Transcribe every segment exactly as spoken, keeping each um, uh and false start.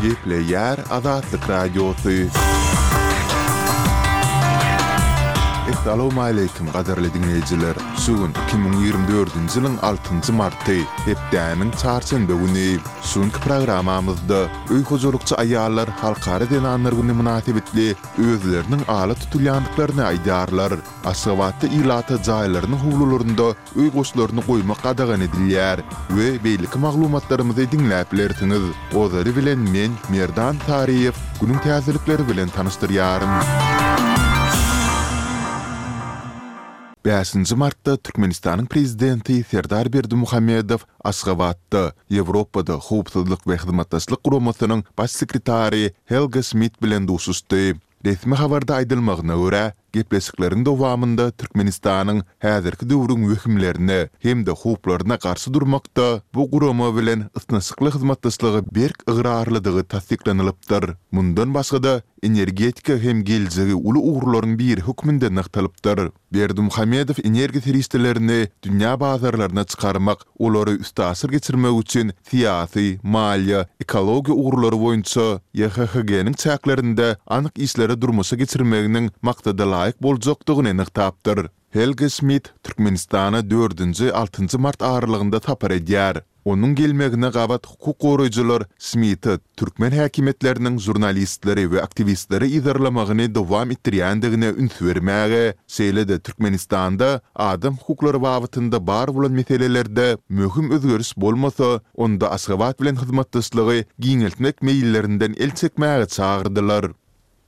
Gepleýär Azatlyk Radiosy. Essalawmaleýkim gadyrly diňleýjiler! Şu gün iki müň ýigrimi dördünji ýylyň altynjy marty, hepdäniň çarşenbe güni. Şu günki programmamyzda öý hojalykçy aýallar Halkara zenanlar güni mynasybetli özleriniň ala tutulýandyklaryny aýdýarlar. Aşgabatda ilata jaýlarynyň howlularynda öý goşlaryny goýmak gadagan edilýär we beýleki maglumatlarymyzy diňläp bilersiňiz. Ozaly bilen men, Merdan Saryýew, günüň täzelikleri bilen tanyşdyrýaryn. Bäşinji martda Türkmenistanyň Prezidenti Serdar Berdimuhamedow Aşgabatda Ýewropada Howpsuzlyk we Hyzmatdaşlyk Guramasynyň Baş sekretary Helga Şmidt bilen duşuşdy. Resmi habarda aýdylmagyna görä, gepleşikleriň dowamynda Türkmenistanyň häzirki döwrüň wehimlerine hem-de howplaryna garşy durmakda bu gurama bilen ysnyşykly hyzmatdaşlyga berk ygrarlydygy tassyklanylypdyr. Mundan başga-da, energetika hem geljegi uly ugurlaryň biri hökmünde nygtalypdyr. Berdimuhamedow energiýa serişdelerini dünýä bazarlaryna çykarmak, olary üstaşyr geçirmek üçin syýasy, maliýe, ekologiýa ugurlary boýunça YHHG-niň çäklerinde anyk işleri durmuşa geçirmeginiň maksadalaýyk boljakdygyny nygtapdyr. Helge Şmidt Türkmenistana dördünji, altynjy mart aralygynda sapar edýär. Onuň gelmegine gabat hukuk goraýjylar Şmidte türkmen häkimiýetleriniň žurnalistleri we aktiwistleri yzarlamagyny dowam etdirýändigine üns bermäge, şeýle-de Türkmenistanda adam hukuklary babatynda bar bolan meselelerde möhüm özgeriş bolmasa, onda Aşgabat bilen hyzmatdaşlygy giňeltmek meýillerinden el çekmäge çagyrdylar.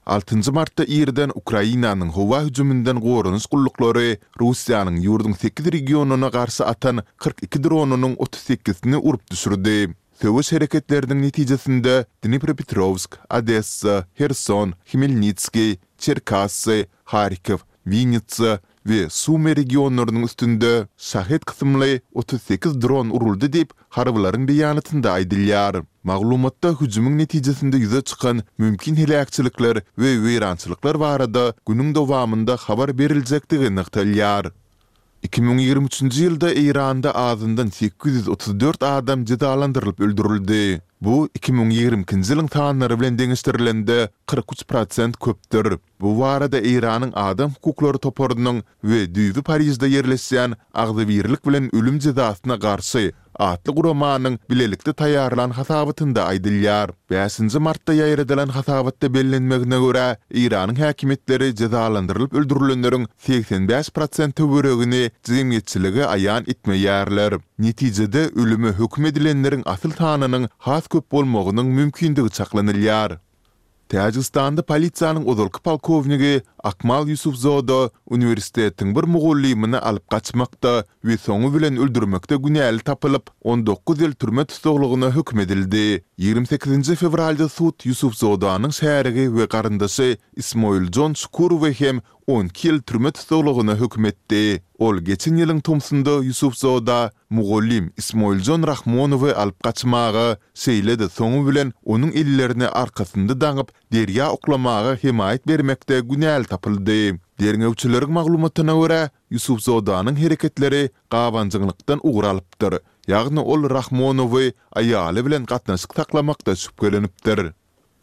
Altynjy martda irden Ukrainanyň howa hüjüminden goranyş gulluklary Russiýanyň ýurduň sekiz regionyna garşy atan kyrk iki dronynyň otuz sekizini urup düşürdi. Söweş hereketleriniň netijesinde Dnipropetrowsk, Odessa, Herson, Hmelnitskiý, Çerkassy, Harkow, Winnitsa we Sumy regionlarynyň üstünde Şahed kysymly otuz sekiz dron uruldy diýip, harbylaryň beýanatynda aýdylýar. Maglumatda hüjümiň netijesinde ýüze çykan mümkin heläkçilikler we weýrançylyklar barada günüň dowamynda habar beriljekdigi nygtalýar. Iki müň ýigrimi üçünji ýylda Eýranda azyndan sekiz ýüz otuz dört adam jezalandyrylyp öldürildi. Bu iki müň ýigrimi ikinji ýylyň sanlary bilen deňeşdirilende kyrk üç prosent köpdür. Bu barada Eýranyň Adam hukuklary toparynyň we düýbi Parižde ýerleşýän Agzybirlik bilen ölüm jezasyna garşy atly guramanyň bilelikde taýýarlan hasabatynda aýdylýar. Bäşinji martda ýaýradylan hasabatda bellenmegine görä, Eýranyň häkimiýetleri jezalandyrylyp öldürilenleriň segsen bäş prosent töweregini jemgyýetçilige aýan etmeýärler. Netijede, ölüme höküm edilenleriň asyl sanynyň has köp bolmagynyň mümkindigi çaklanylýar. Täjigistanda polisiýanyň ozalky polkownigi Akmal Ýusufzoda uniwersitetiň bir mugallymyny alyp gaçmakda we soňy bilen öldürmekde günäli tapylyp, on dokuz ýyl türme tussaglygyna höküm edildi. Ýigrimi sekizinji fewralda sud Ýusufzodanyň şärigi we garyndaşy Ismoiljon Şukurowy hem on iki ýyl türme tussaglygyna höküm etdi. Ol geçen ýylyň tomsunda Ýusufzoda mugallym Ismoiljon Rahmonowy alyp gaçmaga, şeýle-de soňy bilen onuň ellerini arkasynda daňyp, derýa oklamaga hemaýat bermekde günäli tapyldy. Derňewçileriň maglumatyna görä, Ýusufzodanyň hereketleri gabanjaňlykdan ugur alypdyr, ýagny ol Rahmonowy aýaly bilen gatnaşyk saklamakda şübhelenipdir.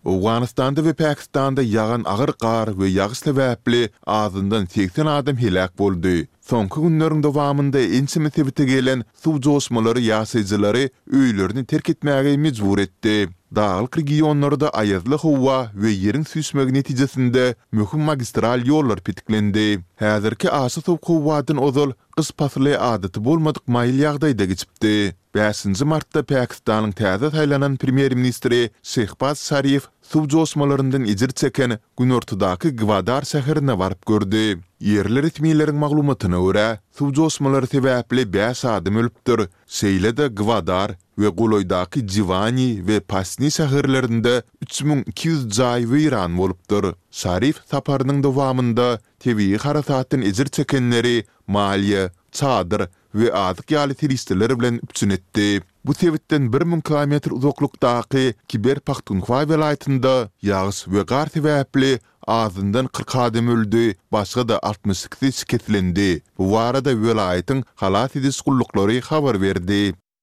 Owganystanda we Pakistanda ýagan agyr gar we ýagyş sebäpli azyndan segsen adam heläk boldy. Soňky günleriň dowamynda ençeme sebite gelen suw joşmalary ýaşaýjylary öýlerini terk etmäge mejbur etdi. Daglyk regionlarda aýazly howa we ýeriň süýşmegi netijesinde möhüm magistral ýollar petiklendi. Häzirki aşa sowuk howadan ozal gyş pasly adaty bolmadyk maýyl ýagdaýda geçipdi. Bäşinji martda Pakistanyň täze saýlanan premýer-ministri Şehbaz Şarif suw joşmalaryndan ejir çeken günortadaky Gwadar şäherine baryp gördi. Ýerli resmileriň maglumatyna görä, suw joşmalary sebäpli bäş adam ölüpdir, şeýle-de Gwadar we golaýdaky Jiwani we Pasni şäherlerinde üç müň iki ýüz jaý weýran bolupdyr. Şarif saparynyň dowamynda tebigy harasatdan ejir çekenleri maliýe, çadyr we azyk ýaly serişdeler bilen üpjün etdi. Bu sebitden bir müň kilometr uzaklykdaky Kiber-Pahtunhwa welaýatynda ýagyş we gar sebäpli azyndan kyrk adam öldi, başga-da altmyş ikisi şikeslendi. Bu barada welaýatyň halas ediş gulluklary habar berdi.